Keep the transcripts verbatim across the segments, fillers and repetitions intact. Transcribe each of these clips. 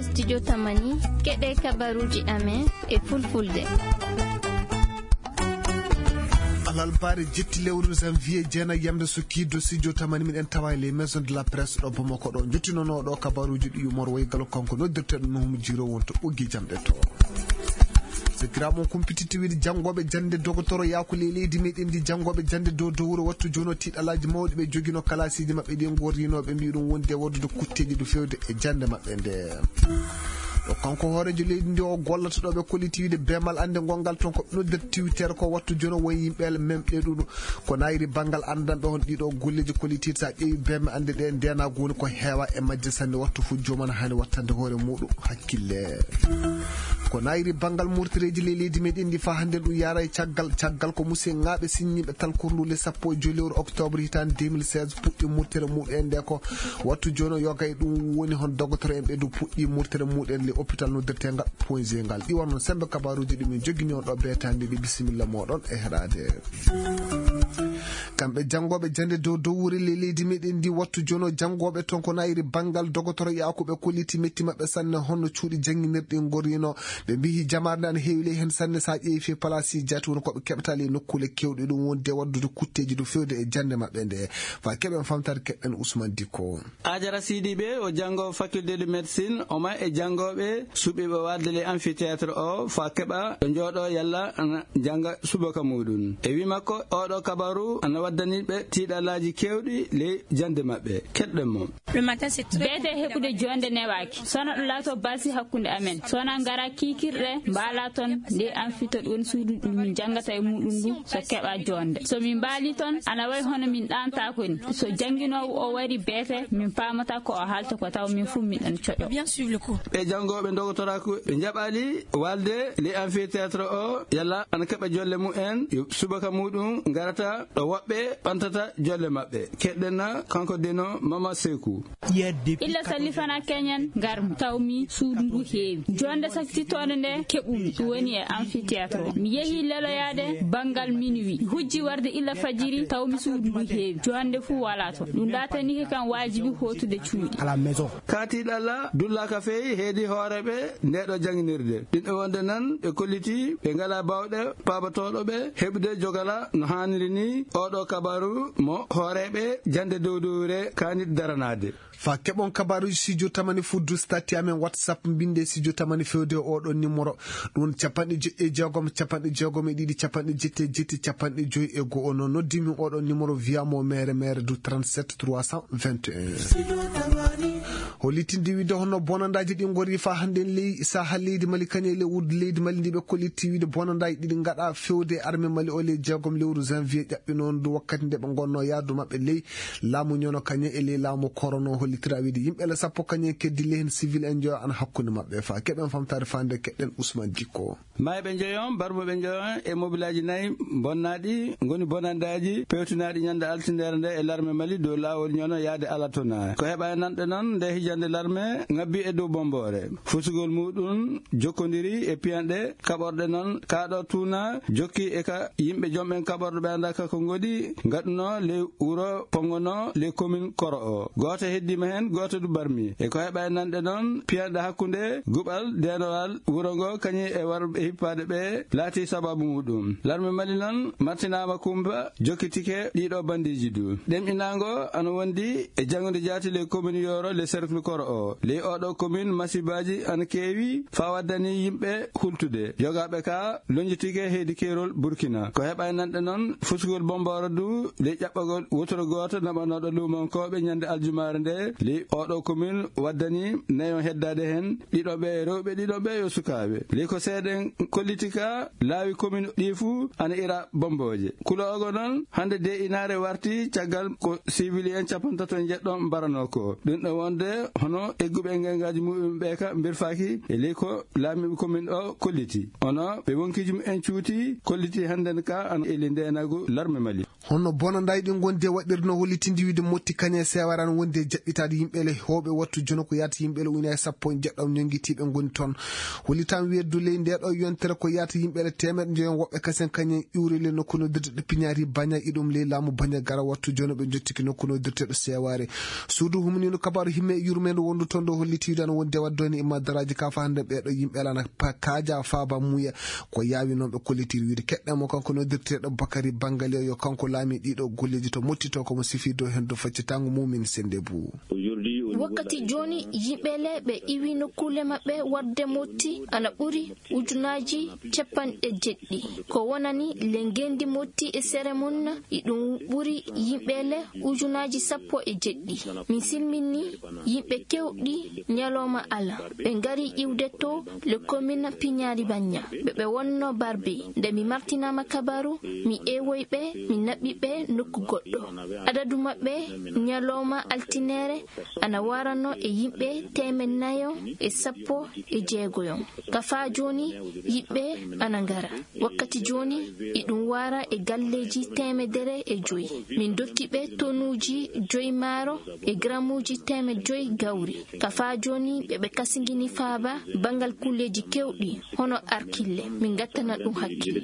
Studio Tamani, keɗe kabaruuji amen e fulfulde. Alalbaare jetti lewru janvier, jeenayi yamde sukkiido studio Tamani, miɗen tawa e les maisons de la presse ɗo Bamako ɗo. Jottinonoo ɗo kabaruuji ɗi yumor woygal kanko noddirteɗo Nuhum Jiro wonto ɓoggi jamɗe to. Sakiraaɓe mon kumpititti wiide janngooɓe jannde dogotoro yaaku ley leydi meɗen ndi, janngooɓe jannde dow dowre wattu jono tiiɗalaaji mawɗi ɓe jogino kalasiiji maɓɓe ɗi ngorrinooɓe mbiɗum wonde waddude kutteeji ɗo fewde e jannde maɓɓe nde. Ɗo kanko hooreejo leydi ndi o gollata ɗo ɓe kolliti wiide beemal annde ngongal toon ko nodder tiwtere ko wattu jono won yimɓe memɗe ɗuɗo ko nayri banngal anndanɓe hon ɗiɗo golleeji kolliti sa ƴeewi beeme annde ɗe ndenago woni ko heewa e majje sanne wattu fof joomana hani wattande hoore muɗum hakkille. Ko nayri banngal murtireeji ley leydi meɗen ndi fa hannde ɗum yara e caggal caggal ko musidɓe sinñiiɓe talkurndu le sappo e joy lewru octobre hitaande deux mille seize puɗɗi murtere muɗum en nde ko wattu jono yoga e ɗum woni hon dogotoro en ɓe du puɗɗi murtere muɗum en le hôpital noddirtengal point g ngal ɗi wonno sembe kabaruuji ɗum en jogini on ɗo beetande ɗi bisimilla moɗon e heɗade. Kamɓe janngooɓe jannde dow dowri le leydi meɗen ndi wattu jono janngooɓe toon ko nayri banngal dogotoro yaakuɓe kolliti metti maɓɓe sanne honno cuuɗi jannginirɗi ngorino ɓe mbihi jamaare nde ana heewi ley heen sanne so a ƴeewi fii palaasi jaati woni ko ɓe keɓata ley nokkuule kewɗe ɗum wonde waddude kutteeji dow fewde e jannde maɓɓe nde fa keɓen famtare keɓɓen Ousmane Dikko. Ajara Sidibe o janngo faculté de médecine o ma e janngooɓe suɓiiɓe waɗde le amphithéâtre o fa keɓa ɗo njooɗo yalla ana jannga subaka muɗum e wi makko oɗo kabaru ana waddani ɓe tiiɗalaaji keewɗi ley jannde maɓɓe keɗɗen mo. Beete heɓude joonde newaaki sona ɗo laato basi hakkunde amen sona ngara kiikirɗe mbaala toon nde amphithéâtre woni suudu ɗum min janngata e muɗum ndu so keɓa joonde so min mbaali toon ana wayi hono min ɗaantaako ni so jannginoowo o wari beete min paamata ko o haalta ko taw min fof min ɗan coɗo. Ɓe janngooɓe ndogotoraaku ɓe njaɓaali waalde le amphithéâtre o yalla ana keɓa jolle mumen yo subaka muɗum ngarata ɗo woɓɓe ɓantata jolle maɓɓe keɗɗen na kanko deno mama seku. Illa salli fana keñen ngarmi tawmi suudu ndu heewi jonde saktittoonde nde keɓumi ɗum woni e amphithéâtre o mi yehi leloyaade banngal minuwi hujji warde illa fajiri tawmi suudu ndu heewi jonde fuu wala toon ɗum ɗatanike kam waajibi hootude cuuɗi. Katiɗalla dullaka fey heedi hooreɓe ndeɗo janginirde ɗinɗo wonde nan ɓe kolliti ɓe ngala bawɗe pabatooɗo ɓe heɓude jogala no haaniri ni oɗo kabaru mo hooreɓe jande dowdowre kanit daranade. Fa keɓon kabaruji studio tamani fuddu stati amen whatsapp mbinde studio tamani fewde oɗo numéro ɗum capanɗe joyi e jeegom capanɗe jeegom e ɗiɗi capanɗe jetti e jetti capanɗe joyi e go'o no noddimi oɗo numéro via mo mere mere du trente-sept trois cent vingt et un. Holitinde wiide hono bonandaji ɗi gori fa hannde ley saha leydi mali kañe ley wudde leydi mali ndi ɓe kollitti wiide bonandaji ɗiɗi gaɗa fewde e arme mali o ley jeegom lewru janvier ƴaɓɓi noon du wakkati nde ɓe gonno yaadu maɓɓe ley laamu ñono kañe e ley laamu korono hollitira wiide yimɓe le sappo kañe keddi lehen civil en joyo ana hakkunde maɓɓe fa keɓen famtare fande keɗɗen ousmane dikko. Mayɓe njoyon barmuɓe njoyon e mobilaji nayi bonnaɗi ngoni bonandaji pewtinaɗi ñande altindere nde e larme mali dow lawol ñono yaade alatona ko heɓa e nanɗe noon nde hijande larme ngabbi e dow bombore fusugol muɗum jokkodiri e piyanɗe kaɓorɗe noon kaɗo tuna jokki e ka yimɓe jomɓen kaɓorɗo ɓe andaka ko ngoɗi gaɗuno ley wuro pongono ley commune koro o goto heddima hen goto du barmi e ko heɓa e nanɗe noon piyanɗe hakkude guɓal denowal wuro ngo kañum e warɓe hippade ɓe laati sababu muɗum larme mali noon martinama kumba jokkitike ɗiɗo bandiji du ɗemɗinango ana wondi e janngude jaati ley commune yoro le cercle koro o ley oɗo commune masibaji ana keewi fa waddani yimɓe hultude jogaɓe ka lonjitike heydi kerol burkina ko heɓa e nanɗe noon fusugol bomboro du ley ƴaɓɓagol wotoro goto naɓanoɗo lumankoɓe ñande aljumare nde ley oɗo commune waddani nayon heddade hen ɗiɗo ɓe rewɓe ɗiɗo ɓe yo sukaɓe ley ko seeɗen kolliti ka laawi commune ɗi fuu ana ira bomboje kulo ogo noon hande de inare warti caggal ko civili en capantato e jeɗɗo mbarano ko ɗum ɗo wonde hono egguɓe e ngengaji muɗum ɓe ka mbirfaki e ley ko laamiɓe commune o kolliti ono ɓe wonkiji mumen cuuti kolliti handen ka ana eli ndenagu larme mali. Hono bonandaji ɗi gondi e waɗirde no hollitinde wiide motti kañe seware ana wondi e jaɓɓitade yimɓele hewɓe wattu jono ko yata yimɓele ujunnaji sappo e jeɗɗam ñonguitiɓe goni toon hollitam weddu ley nde ɗo yontere ko yata yimɓele temeɗe njoyon woɓɓe kasen kañen iwri le nokku noddirde ɗo piñari baña iɗum ley laamu baña gara wattu jono ɓe jottiki nokku noddirteɗo seware suudu humanino kabaru himme e yurme Men wondu toon ɗo holliti wiide ana wondi e waɗde toon e maddaraaji ka fa hannde ɓeeɗo yimɓe alaa na pa-, kaaja faaba muuya ko yaawi noon ɓe kollitir wiide keɗɗe mo kanko noddirteeɗo Bakari Bangaliyo yo kanko laami ɗiɗo golleeji to mottito ko mo sifirdo heen do faccitango mumin sende bu. Wakkati jooni yimɓe le ɓe iwi nokkuule maɓɓe warde motti ana ɓuri ujunaaji capanɗe jeɗɗi. Ko wonani le ngendi motti e sere mum, iɗum ɓuri yimɓe le ujunaaji sappo e jeɗɗi. Min silminni yimɓe kewɗi ñalawma ala. Ɓe ngari iwde to le commune Piñari Bañña. Ɓe ɓe wonno Barbe. Nde mi martinaama kabaru, mi ewoy ɓe, mi naɓɓi ɓe nokku goɗɗo. Adadu maɓɓe ñalawma altinere ana warano e yimɓe teemed nayo e sappo e jeegoyon. Ka faa jooni, yiɓɓe ana ngara. Wakkati jooni, iɗum wara e galleeji teemedere e joy. Min dokki ɓe tonuuji joy maaro e gramuuji teemed joy gawri. Ka faa jooni, ɓe ɓe kasingini faaba banngal kulleeji kewɗi, hono arkille. Min ngattana ɗum hakkille.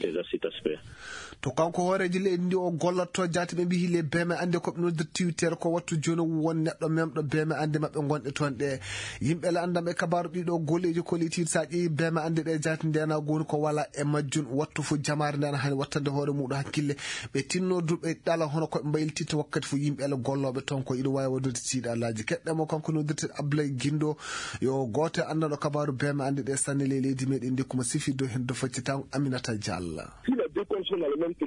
To kanko hooreejo leydi ndi o gollotto jaati ɓe mbiyi le beme annde ko ɓe noddirta tiwtere ko wattu jooni won neɗɗo memɗo beme annde maɓɓe ngonɗe toon ɗe. Yimɓe le anndam e kabaaru ɗiɗo golleeji ko leydi sa ƴeewi beme annde ɗe jaati ndena goni ko wala e majjun wattu fof jamaare ndena hani wattande hoore muɗum hakkille. Ɓe tinno duɓe ɗala hono koɓe mbaylititta wakkati fof yimɓe le gollooɓe toon ko iɗo wawi waɗude tiiɗalaaji keɗɗe mo kanko noddirte Ablaye Gindo yo gooto e anndanɗo kabaaru beme annde ɗe sanne le leydi meɗen ndekkuma sifirde heen do faccitango Aminata Diallo.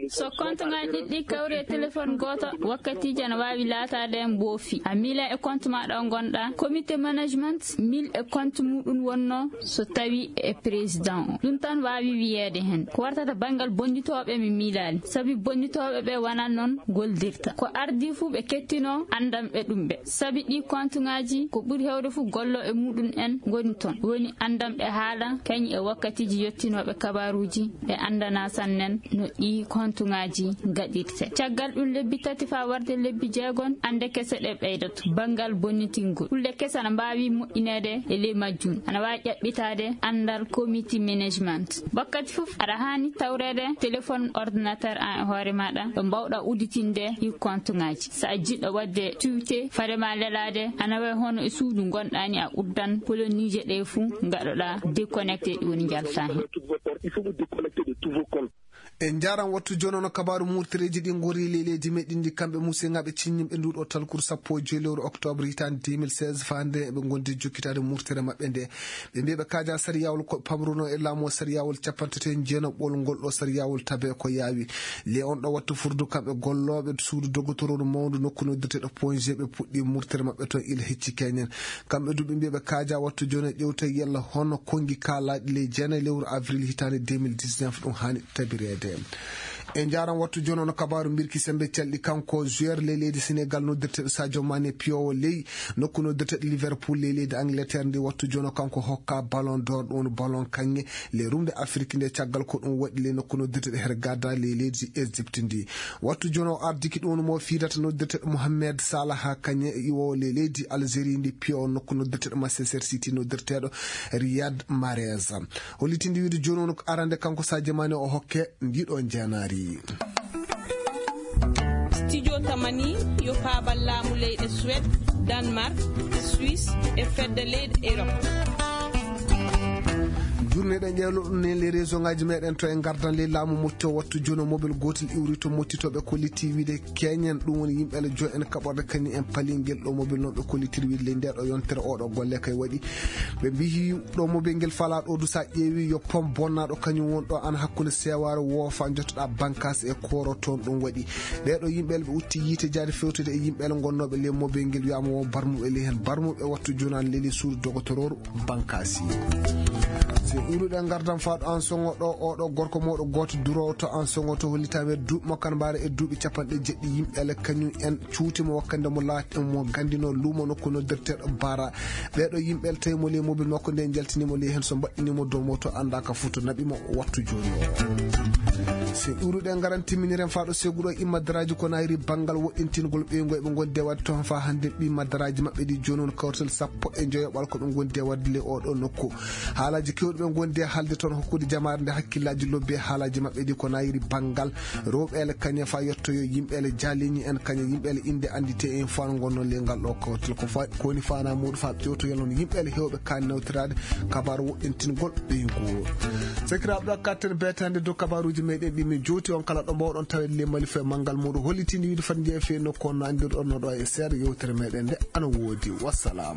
So kontoŋaaji ɗiɗi kawri e téléphone gooto, wakkatiiji ana waawi laataade mboofi. A miila e compte maaɗa o ngonɗaa. Comité management, mil e compte muɗum wonno so tawi e président o. Ɗum tan waawi wiyeede heen. Ko wartata banngal bonnditooɓe mi miilaali. Sabi bonnditooɓe ɓe wonaa noon goldirta. Ko ardii fuu ɓe kettinoo anndam ɓe ɗum ɓe. Sabi ɗii kontuŋaaji ko ɓuri heewde fof gollo e muɗum en ngoni toon. Woni anndam ɓe haala kañ e wakkatiiji yottinooɓe kabaaruuji ɓe anndana sannen no ɗii kontuŋaaji gaɗirte. Caggal ɗum lebbi tati faa warde lebbi jeegon, annde kese ɗe ɓeydoto. Banngal bonnitingol. Kulle kese ana mbaawi moƴƴineede e ley majjum. Ana waawi ƴaɓɓitaade anndal committee management. Wakkati fof aɗa haani tawreede téléphone, ordinateur an e hoore maaɗa ɗo mbaawɗa udditinde ɗii kontuŋaaji. So a jiɗɗo waɗde tuwte, fade ma lelaade, ana wayi hono e suudu ngonɗaa ni, a uddan koloniije ɗe fuu, ngaɗoɗaa déconnecté, ɗi woni njaltaa heen. E njaaram wattu jooni ono kabaaru murtireeji ɗi ngori le leydi meɗen ndi kamɓe museŋaaɓe ciññimɓe nduɗo talkuru sappo e joy lewru octobre hitaande deux mille seize faa nde ɓe ngondi jokkitaade murtere maɓɓe nde. Ɓe mbiya ɓe kaaja sariyawol ko pamruno e laamu o sariyawol capanɗe tati e jeenaɓol ngol ɗo sariyawol tabe ko yaawi. Le on ɗo wattu furdu kamɓe gollooɓe suudu dogotororu mawndu nokku noddirteeɗo Pointe G ɓe puɗɗi murtere maɓɓe toon ila hecci keñen. Kamɓe du ɓe mbiya ɓe kaaja wattu jooni e ƴewta yalla hono konngi kaalaaɗi ley jeenayi lewru avril hitaande deux mille dix-neuf ɗum haani tabireede. E njaaram wattu jooni ono kabaaru mbirki sembe calɗi kanko joueur ley leydi Sénégal noddirteeɗo Sadio Mané piyowo ley nokku noddirteeɗo Liverpool ley leydi Angleterre ndi wattu jooni o kanko hokka ballon d'or ɗum woni ballon kaŋŋe le rumde Afrique nde caggal ko ɗum waɗi le nokku noddirteeɗo Hurghada ley leydi Égypte ndi. Wattu jooni o ardiki ɗum woni mo fiidata noddirteeɗo Mohamed Salah kaŋŋe e iwowo ley leydi Algérie ndi piyowo nokku noddirteeɗo Manchester City noddirteeɗo Riyad Mahrez. Hollitinde wiide jooni woni ko arande kanko Sadio Mané o hokke ndiɗo njeenaari. Studio Tamani yo paabal laamu leyɗe Suède, Danemark, e Suisse, e fedde leyɗe Europe. Journée ɗen ƴeewlo ɗum ne les réseau ngaji meɗen to e ngardan ley laamu motti o wattu jooni o mobile gootel iwri to mottitoɓe kolliti wiide keñen ɗum woni yimɓe ala jo en kaɓorde kañum en palingel ɗo mobile noon ɓe kollitiri wiide ley nde ɗo yontere oɗo golle kay waɗi. Ɓe mbiyi ɗo mo be ngel fala ɗo du sa ƴeewi yo pom bonnaɗo kañum won ɗo an hakkunde sewaare woofa jottoɗa bankas e koro toon ɗum waɗi. Ɓeɗo yimɓe ɓe utti yiite jaade fewtude e yimɓe gonnoɓe le mo be ngel wiyama wo barmuɓe le hen barmuɓe wattu jonan leli suudu dogotororu bankasi. So iwruɗe gardan faɗo an songo ɗo oɗo gorko moɗo goto durowo to an songo to hollitami e duuɓi makko kan mbaɗa e duuɓi capanɗe jeɗɗi yimɓe le kañum en cuuti mo wakkande mo laati mo gandino lumo nokku noddirteɗo bara. Ɓeɗo yimɓe tawi mo ley mobile makko nde jaltini mo ley hen so mbaɗɗini mo dow moto anda ka foto naɓi mo wattu joni o. So iwruɗe ngaran timminiren faɗo seguɗo imma daraji ko nayri bangal woɗɗintingol ɓeyngol ɓe gondi e wadde toon fa hande ɓi maddaraji maɓɓe ɗi joni on kawtal sappo e joyo ɓal ko ɓe gondi e wadde le oɗo nokku. Haalaji kewɗi ɓe Wonde haalde toon hokkude jamaare nde hakkillaaji lobbi e haalaaji maɓɓe ɗi ko nayiri banngal rewɓe ele kañe fa yettoyo yimɓe ele jaaliñi en kañe yimɓe ele innde anndite en fa no ngonno le ngal ɗo kawtal ko fa ko woni faana muuɗo fa ƴewtoyal noon yimɓe ele heewɓe kaani nawtiraade kabaaru woɗɗintingol ɓeyngu. Sakiraaɓe ɗo kattan beetaande dow kabaaruuji meɗen ɗi min jowti on kala ɗo mbawɗon tawede le mali fe manngal muuɗo hollitinde wiide fat njeeya fe nokku on no anndirɗon no ɗo e seeɗa yewtere meɗen nde ana woodi. Wassalam.